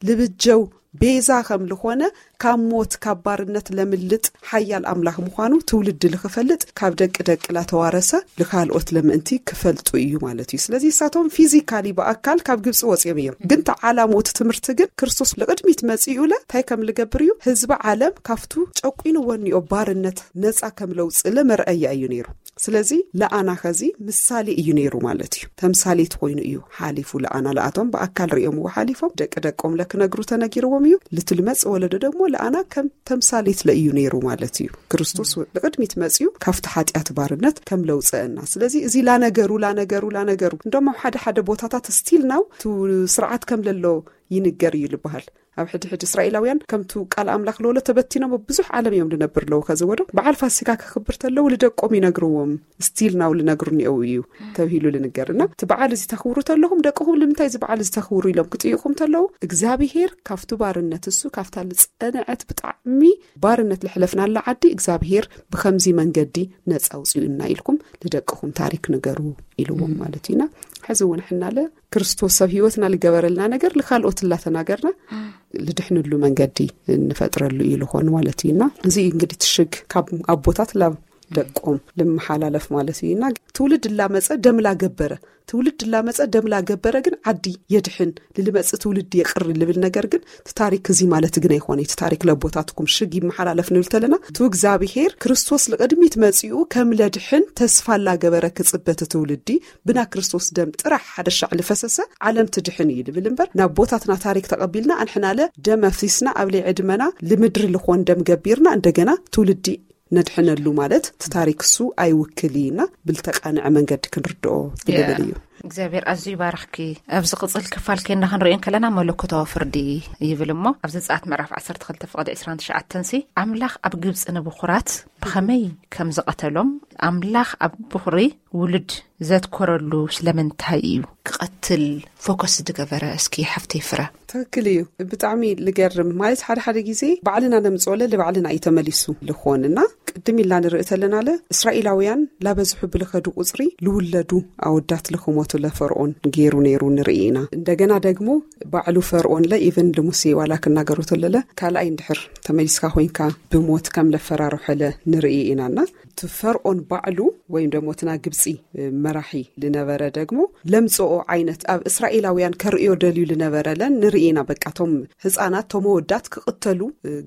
ልብጀው ቤዛ ከም ልኾነ ካብ ሞት ካብ ባርነት ለምልጥ ሓያል ኣምላኽ ምዃኑ ትውልዲ ልክፈልጥ ካብ ደቂ ደቂ ላተዋረሰ ልካልኦት ለምእንቲ ክፈልጡ እዩ ማለት እዩ። ስለዚ እሳቶም ፊዚካሊ ብኣካል ካብ ግብፂ ወፂኦም እዮም፣ ግን ተዓላሙ እቲ ትምህርቲ ግን ክርስቶስ ልቕድሚት መፂኡ ለ እንታይ ከም ልገብር እዩ ህዝቢ ዓለም ካብቱ ጨቂኑ ወኒኦ ባርነት ነፃ ከም ለውፅእ ለ መርኣያ እዩ ነይሩ። ስለዚ ለኣና ኸዚ ምሳሌ እዩ ነይሩ ማለት እዩ። ተምሳሌት ኮይኑ እዩ ሓሊፉ ለኣና ለኣቶም ብኣካል ሪኦምዎ ሓሊፎም ደቂ ደቆም ለክነግሩ ተነጊርዎም እዩ። ልትልመፅ ወለዶ ደግሞ ለኣና ከም ተምሳሌት ለእዩ ነይሩ ማለት እዩ። ክርስቶስ ብቅድሚት መፅዩ ካብቲ ሓጢኣት ባርነት ከም ለውፀአና። ስለዚ እዚ ላነገሩ ላነገሩ ላነገሩ እንደሞ ሓደ ሓደ ቦታታት ስቲል ናው ቱ ስርዓት ከም ለሎ ይንገር እዩ ልበሃል። ኣብ ሕድሕድ እስራኤላውያን ከምቱ ቃል ኣምላኽ ለወሎ ተበቲኖም ኣብ ብዙሕ ዓለም እዮም ልነብር ኣለዉ። ከዚ ወዶ በዓል ፋሲካ ክኽብር ተለዉ ልደቆም ይነግርዎም ስቲል ናው ልነግሩ እኒአው እዩ ተብሂሉ ልንገር እና እቲ በዓል እዚ ተኽብሩ ተለኹም ደቅኹም ልምንታይ እዚ በዓል እዚ ተኽብሩ ኢሎም ክጥይቑም ተለዉ እግዚኣብሄር ካብቱ ባርነት እሱ ካብታ ልፀንዐት ብጣዕሚ ባርነት ልሕለፍናላ ዓዲ እግዚኣብሄር ብኸምዚ መንገዲ ነፃ ውፅኡና ኢልኩም ልደቅኹም ታሪክ ንገሩ ኢልዎም ማለት እዩና። ሕዚ እውን ሕናለ ክርስቶስ ሰብ ህይወትና ልገበረልና ነገር ልካልኦት ላተናገርና ልድሕንሉ መንገዲ እንፈጥረሉ እዩ ልኾን ማለት እዩና። እዚ እንግዲህ ትሽግ ካብ ኣቦታት ላብ ደቆም ልመሓላለፍ ማለት እዩና። ትውልድ ላመፀ ደም ላገበረ ትውልድ ላመፀ ደም ላገበረ ግን ዓዲ የድሕን ልልመፅ ትውልድ የቅሪ ልብል ነገር ግን እቲ ታሪክ እዚ ማለት ግን ኣይኮነ። እቲ ታሪክ ለቦታትኩም ሽግ ይመሓላለፍ ንብል ተለና እቲ እግዚኣብሄር ክርስቶስ ልቅድሚት መፂኡ ከም ለድሕን ተስፋ ላገበረ ክፅበ እቲ ትውልዲ ብና ክርስቶስ ደም ጥራሕ ሓደ ሻዕ ልፈሰሰ ዓለም ትድሕን እዩ ልብል እምበር ናብ ቦታትና ታሪክ ተቐቢልና ኣንሕናለ ደም ኣፍሲስና ኣብ ለይ ዕድመና ልምድሪ ልኾን ደም ገቢርና እንደገና ትውልዲ ነድሕነሉ ማለት እቲ ታሪክ እሱ ኣይውክል እዩና ብልተቃንዐ መንገዲ ክንርድኦ ይልብል እዩ። እግዚኣብሔር ኣዝዩ ይባርኽኪ። ኣብዚ ቅጽል ክፋል ከይና ክንሪኦ ከለና መለኮታዊ ፍርዲ ይብል እሞ ኣብ ዘጸኣት ምዕራፍ ዓሰርተ ክልተ ፍቕዲ ዕስራን ትሽዓተን ሲ ኣምላኽ ኣብ ግብጺ ንብኹራት ብኸመይ ከም ዝቐተሎም ኣምላኽ ኣብ ብኹሪ ውሉድ ዘትኮረሉ ስለምንታይ እዩ ክቐትል ፎከስ ዝገበረ? እስኪ ሓፍተይ ፍረ። ትክክል እዩ። ብጣዕሚ ልገርም ማለት ሓደ ሓደ ግዜ ባዕልና ነምፅኦለ ልባዕልና እዩ ተመሊሱ ልኾን እና ቅድም ኢልና ንርኢ ተለናለ እስራኤላውያን ላበዝሑ ብልኸዱ ቁፅሪ ልውለዱ ኣወዳት ልክሞቱ ለፈርኦን ገይሩ ነይሩ ንርኢ ኢና። እንደገና ደግሞ ባዕሉ ፈርኦን ለ ኢቨን ልሙሴ ዋላ ክናገሩ ተለለ ካልኣይ እንድሕር ተመሊስካ ኮይንካ ብሞት ከም ለፈራርሖለ ንርኢ ኢና እና እቲ ፈርኦን ባዕሉ ወይም ደግሞ እቲ ናይ ግብፂ መራሒ ልነበረ ደግሞ ለምፅኦ ዓይነት ኣብ እስራኤላውያን ከርእዮ ደልዩ ልነበረ ለን ንርኢ ኢና። በቃ ቶም ህፃናት ቶም ወዳት ክቕተሉ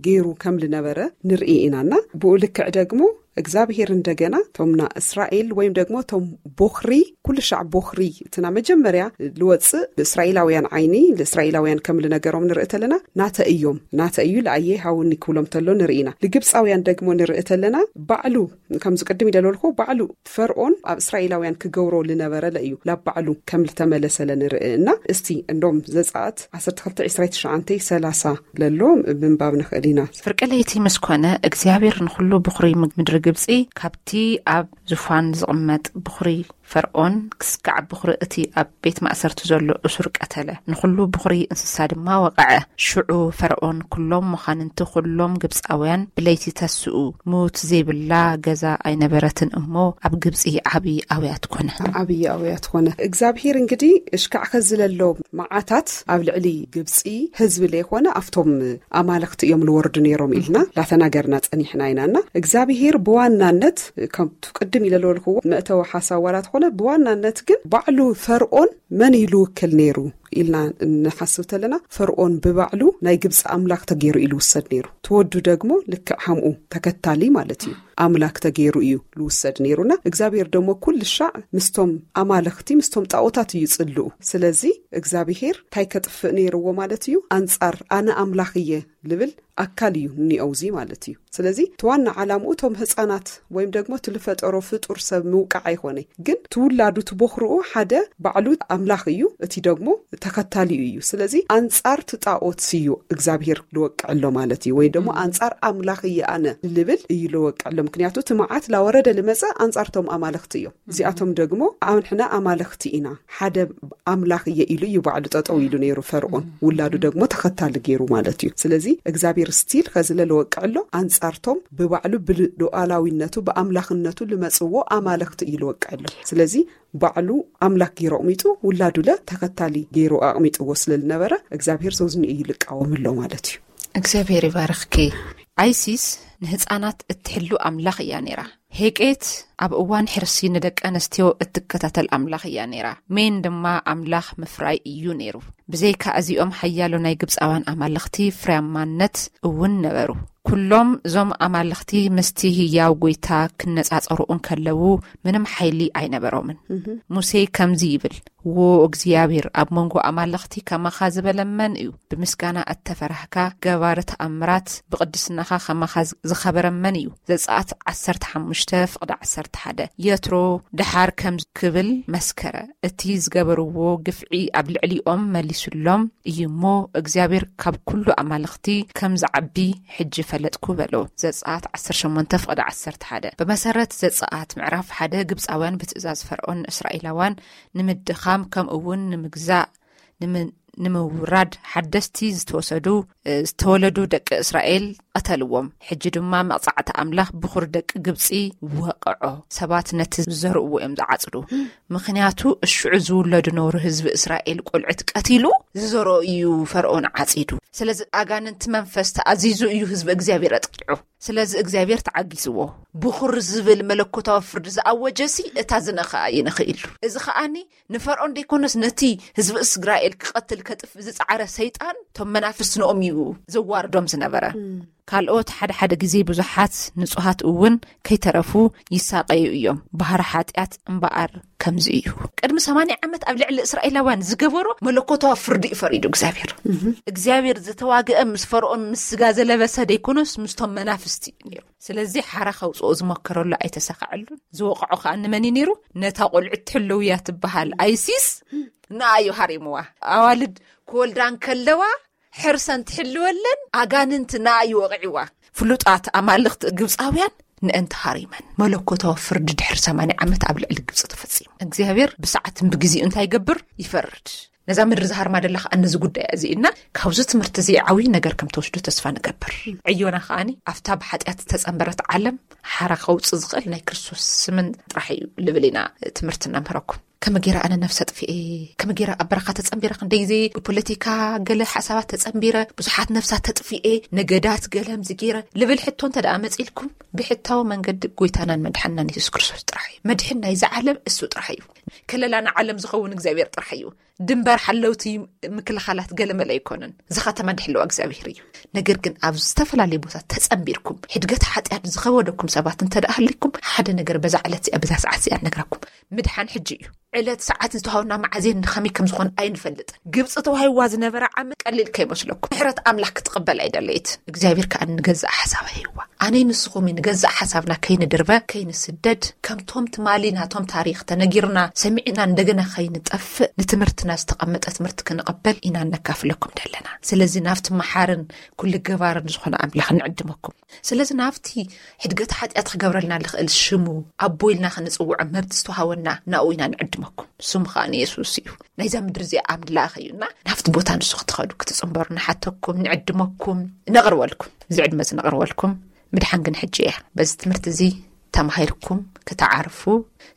ገይሩ ከም ልነበረ ንርኢ ኢና እና ብኡ ልክዕ ደግሞ እግዚኣብሄር እንደገና ቶምና እስራኤል ወይም ደግሞ ቶም ቦኽሪ ኩሉ ሻዕ ቦኽሪ እትና መጀመርያ ልወፅእ ብእስራኤላውያን ዓይኒ ንእስራኤላውያን ከም ልነገሮም ንርኢ ተለና ናተ እዮም ናተ እዩ ለኣየ ሃውኒ ክብሎም ተሎ ንርኢ ኢና። ልግብፃውያን ደግሞ ንርኢ ተለና ባዕሉ ከምዚ ቅድም ኢለ ዝበልኩ ባዕሉ ፈርኦን ኣብ እስራኤላውያን ክገብሮ ልነበረ ለእዩ ላብ ባዕሉ ከም ልተመለሰለ ንርኢ እና እስቲ እንዶም ዘፀኣት ዓሰርተ ክልተ ዕስራ ትሽዓተ ሰላሳ ለሎ ምንባብ ንኽእል ኢና። ፍርቂ ለይቲ ምስ ኮነ እግዚኣብሔር ንኹሉ ብኹሪ ምድሪ ግብፂ ካብቲ ኣብ ዙፋን ዝቕመጥ ብኹሪ ፈርኦን ክስካዕ ብኹሪ እቲ ኣብ ቤት ማእሰርቲ ዘሎ እሱር ቀተለ፣ ንኹሉ ብኹሪ እንስሳ ድማ ወቐዐ። ሽዑ ፈርኦን ኩሎም መዃንንቲ ኩሎም ግብፃውያን ብለይቲ ተስኡ። ሙት ዘይብላ ገዛ ኣይነበረትን እሞ ኣብ ግብፂ ዓብዪ ኣውያት ኮነ። ዓብዪ ኣውያት ኮነ። እግዚኣብሄር እንግዲ እሽካዕ ከዝለሎ መዓታት ኣብ ልዕሊ ግብፂ ህዝቢ ለይኮነ ኣብቶም ኣማልኽቲ እዮም ልወርዱ ነይሮም ኢልና ላተናገርና ፀኒሕና ኢና እና እግዚኣብሄር ብዋናነት ከምቱ ቅድም ኢለ ዝበልክዎ መእተዊ ሓሳብ ዋላ ትኾነ ብዋናነት ግን ባዕሉ ፈርኦን መን እዩ ልውክል ነይሩ ኢልና እንሓስብ ተለና ፈርኦን ብባዕሉ ናይ ግብፂ ኣምላኽ ተገይሩ እዩ ልውሰድ ነይሩ። ትወዱ ደግሞ ልክዕ ሃምኡ ተከታሊ ማለት እዩ ኣምላክ ተገይሩ እዩ ልውሰድ ነይሩና እግዚኣብሔር ደሞ ኩሉ ሻዕ ምስቶም ኣማልኽቲ ምስቶም ጣዖታት እዩ ጽልኡ። ስለዚ እግዚኣብሔር እንታይ ከጥፍእ ነይርዎ ማለት እዩ? ኣንጻር ኣነ ኣምላኽ እየ ልብል ኣካል እዩ እኒኦውዚ ማለት እዩ። ስለዚ እቲ ዋና ዓላምኡ እቶም ህፃናት ወይም ደግሞ እቲ ልፈጠሮ ፍጡር ሰብ ምውቃዕ ኣይኮነ፣ ግን ትውላዱ ትቦኽርኡ ሓደ ባዕሉ ኣምላኽ እዩ፣ እቲ ደግሞ ተኸታሊኡ እዩ። ስለዚ ኣንጻር እቲ ጣዖት እዩ እግዚኣብሔር ልወቅዕ ኣሎ ማለት እዩ፣ ወይ ደሞ ኣንጻር ኣምላኽ እየ ኣነ ልብል እዩ ልወቅዕ ኣሎ። ምክንያቱ እቲ መዓት ላወረደ ልመጸ ኣንጻርቶም ኣማልኽቲ እዮም። እዚኣቶም ደግሞ ኣንሕና ኣማልኽቲ ኢና፣ ሓደ ኣምላኽ እየ ኢሉ እዩ ባዕሉ ጠጠው ኢሉ ነይሩ ፈርዖን። ውላዱ ደግሞ ተኸታሊ ገይሩ ማለት እዩ። ስለዚ እግዚኣብሔር ስቲል ከዚ ለልወቅዕ ኣሎ ኣንጻርቶም ብባዕሉ ብሉኣላዊነቱ ብኣምላኽነቱ ልመጽዎ ኣማልኽቲ እዩ ልወቅዕ ኣሎ። ስለዚ ባዕሉ ኣምላኽ ገይሩ ኣቕሚጡ ውላዱ ለ ተኸታሊ ገይሩ ኣቕሚጥዎ ስለ ልነበረ እግዚኣብሔር ዞዝኒ እዩ ልቃወም ኣሎ ማለት እዩ። እግዚኣብሔር ይባርኽኪ። ኣይሲስ ንህፃናት እትሕሉ ኣምላኽ እያ ነይራ። ሄቄት ኣብ እዋን ሕርሲ ንደቂ ኣንስትዮ እትከታተል ኣምላኽ እያ ነይራ። ሜን ድማ ኣምላኽ ምፍራይ እዩ ነይሩ። ብዘይካ እዚኦም ሓያሎ ናይ ግብፃውያን ኣማልኽቲ ፍርያማነት እውን ነበሩ። ኩሎም እዞም ኣማልኽቲ ምስቲ ህያው ጎይታ ክነጻጸሩ እንከለዉ ምንም ሓይሊ ኣይነበሮምን። ሙሴ ከምዚ ይብል፣ ዎ እግዚኣብሔር፣ ኣብ መንጎ ኣማልኽቲ ከማኻ ዝበለ መን እዩ? ብምስጋና እተፈራህካ፣ ገባሪ ተኣምራት፣ ብቕድስናኻ ከማኻ ዝኸበረ መን እዩ? ዘጸኣት ዓሰርተ ሓሙሽተ ፍቕዲ ዓሰርተ ሓደ። የትሮ ደሓር ከም ክብል መስከረ። እቲ ዝገበርዎ ግፍዒ ኣብ ልዕሊኦም መሊሱሎም እዩ እሞ፣ እግዚኣብሔር ካብ ኩሉ ኣማልኽቲ ከም ዝዓቢ ሕጂ ፈለጥኩ በሎ። ዘጸኣት ዓሰርተ ሸሞንተ ፍቕዲ ዓሰርተ ሓደ። ብመሰረት ዘጸኣት ምዕራፍ ሓደ፣ ግብጻውያን ብትእዛዝ ፈርዖን ንእስራኤላውያን ንምድኻም፣ ከምኡ እውን ንምግዛእ፣ ንምን-፣ ንምውራድ ሓደስቲ ዝተወሰዱ፣ እ፣ ዝተወለዱ ደቂ እስራኤል ቀተልዎም። ሕጂ ድማ መቕጻዕቲ ኣምላኽ ብኹር ደቂ ግብጺ ወቕዖ። ሰባት ነቲ ዝዘርእዎ እዮም ዝዓጽዱ። ምኽንያቱ እሽዑ ዝውለዱ ነውሪ ህዝቢ እስራኤል ቆልዑት ቀቲሉ ዝዘርኦ እዩ ፈርዖን ዓጺዱ። ስለዚ ኣጋንንቲ መንፈስ ተኣዚዙ እዩ ህዝቢ እግዚኣብሔር ኣጥቂዑ። ስለዚ እግዚኣብሔር ተዓጊስዎ። ብኹር ዝብል መለኮታዊ ፍርዲ ዝኣወጀሲ እታ ዝነኸኣ ይንኽእ ኢሉ። እዚ ኸኣኒ ንፈርዖን ደይኮነስ ነቲ ህዝቢ እስራኤል ክቐትል ከጥፍ ዝጸዓረ ሰይጣን እቶም መናፍስቲ ንኦም እዩ ዘዋርዶም ዝነበረ። ካልኦት ሓደ ሓደ ግዜ ብዙሓት ንጹሃት እውን ከይተረፉ ይሳቐዩ እዮም። ባህሪ ሓጢኣት እምበኣር ከምዚ እዩ። ቅድሚ ሰማንያ ዓመት ኣብ ልዕሊ እስራኤላውያን ዝገበሮ መለኮታዊ ፍርዲ እዩ ፈሪዱ እግዚኣብሔር። እግዚኣብሔር ዝተዋግአ ምስ ፈርዖን ምስ ስጋ ዘለበሰ ደይኮነስ ምስቶም መናፍስቲ እዩ ነይሩ። ስለዚ ሓራ ከውፅኦ ዝሞከረሉ ኣይተሳኸዐሉን። ዝወቕዖ ከዓ ንመን እዩ ነይሩ? ነታ ቆልዑ ትሕልው እያ ትበሃል ኣይሲስ ንኣዩ ሃሪምዋ። ኣዋልድ ክወልዳ እንከለዋ ሕርሰን ትሕልወለን ኣጋንንቲ ንኣዩ ወቕዕዋ። ፍሉጣት ኣማልኽቲ ግብፃውያን ንእንቲ ሃሪመን መለኮታዊ ፍርዲ ድሕሪ ሰማንያ ዓመት ኣብ ልዕሊ ግብፂ ተፈፂሙ። እግዚኣብሔር ብሰዓትን ብግዜኡ እንታይ ይገብር? ይፈርድ። ነዛ ምድሪ ዝሃርማ ደላ ከዓ ነዚ ጉዳይ እዚ እና ካብዚ ትምህርቲ እዚ ዓብዪ ነገር ከም ተወስዱ ተስፋ ንገብር። ዕዮና ከዓኒ ኣብታ ብሓጢኣት ዝተፀንበረት ዓለም ሓራ ከውፅእ ዝኽእል ናይ ክርስቶስ ስምን ጥራሕ እዩ ልብል ኢና ትምህርቲ እናምህረኩም። ከመ ገይረ ኣነ ነፍሰ ጥፍኤ፣ ከመ ገይረ ኣብ በረኻ ተፀንቢረ፣ ክንደይ ግዜ ብፖለቲካ ገለ ሓሳባት ተፀንቢረ፣ ብዙሓት ነፍሳት ተጥፍኤ፣ ነገዳት ገለ ምዚ ገይረ ልብል ሕቶ እንተ ደኣ መፂልኩም፣ ብሕታዊ መንገዲ ጎይታናን መድሓንናን የሱስ ክርስቶስ ጥራሕ እዩ። መድሕን ናይዚ ዓለም እሱ ጥራሕ እዩ። ከለላ ንዓለም ዝኸውን እግዚኣብሔር ጥራሕ እዩ። ድንበር ሓለውቲ ምክልኻላት ገለ መለ ኣይኮነን። እዚ ከተማ ድሕልዋ እግዚኣብሔር እዩ። ነገር ግን ኣብ ዝተፈላለየ ቦታ ተጸንቢርኩም፣ ሕድገት ሓጢኣት ዝኸበደኩም ሰባት እንተ ደኣ ሃሊኩም፣ ሓደ ነገር በዛ ዕለት እዚኣ፣ በዛ ሰዓት እዚኣ ንነግረኩም። ምድሓን ሕጂ እዩ። ዕለት ሰዓት ዝተዋህበና መዓዜን ንኸመይ ከም ዝኾነ ኣይንፈልጥን። ግብፂ ተዋሂብዋ ዝነበረ ዓመት ቀሊል ከይመስለኩም። ምሕረት ኣምላኽ ክትቕበል ኣይደለየት። እግዚኣብሔር ከኣ ንገዛእ ሓሳብ ሂብዋ። ኣነይ ንስኹም ንገዛእ ሓሳብና ከይንድርበ፣ ከይንስደድ፣ ከምቶም ትማሊ ናቶም ታሪኽ ተነጊርና ሰሚዕና እንደገና ከይንጠፍእ፣ ንትምህርትና ዝተቐመጠ ትምህርቲ ክንቕበል ኢና እነካፍለኩም ደለና። ስለዚ ናብቲ መሓርን ኩሉ ገባርን ዝኾነ ኣምላኽ ንዕድመኩም። ስለዚ ናብቲ ሕድገት ሓጢኣት ክገብረልና ልኽእል ሽሙ ኣቦ ኢልና ክንጽውዖ መብት ዝተዋሃወና ናኡ ኢና ንዕድመኩም። ስሙ ከኣ ንየሱስ እዩ። ናይዛ ምድሪ እዚኣ ኣምላኽ እዩና ናብቲ ቦታ ንሱ ክትኸዱ ክትጽንበሩ ንሓተኩም፣ ንዕድመኩም፣ ነቕርበልኩም። እዚ ዕድመ እዚ ነቕርበልኩም። ምድሓን ግን ሕጂ እያ። በዚ ትምህርቲ እዚ ተማሂርኩም ክትዓርፉ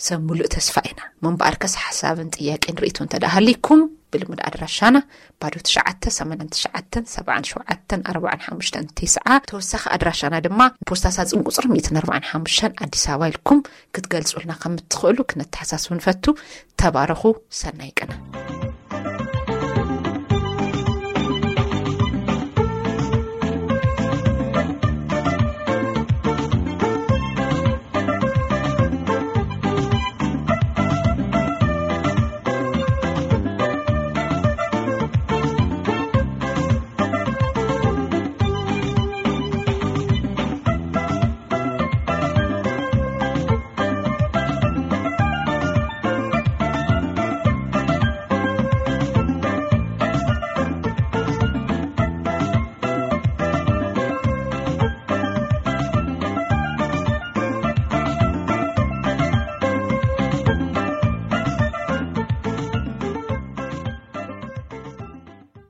ሰብ ሙሉእ ተስፋ ኢና። ምንበኣርከስ ሓሳብን ጥያቄን ርእይቶ እንተ ደኣ ሃሊኩም ብልሙድ ኣድራሻና ባዶ ትሽዓተ ሰማንያን ትሽዓተን ሰብዓን ሸውዓተን ኣርባዓን ሓሙሽተን ተስዓ። ተወሳኺ ኣድራሻና ድማ ፖስታ ሳጽን ቁጽሪ ሚእትን ኣርባዓን ሓሙሽተን ኣዲስ ኣበባ ኢልኩም ክትገልጹልና ከም እትኽእሉ ክነተሓሳስብ ንፈቱ። ተባረኹ። ሰናይ ቅነ።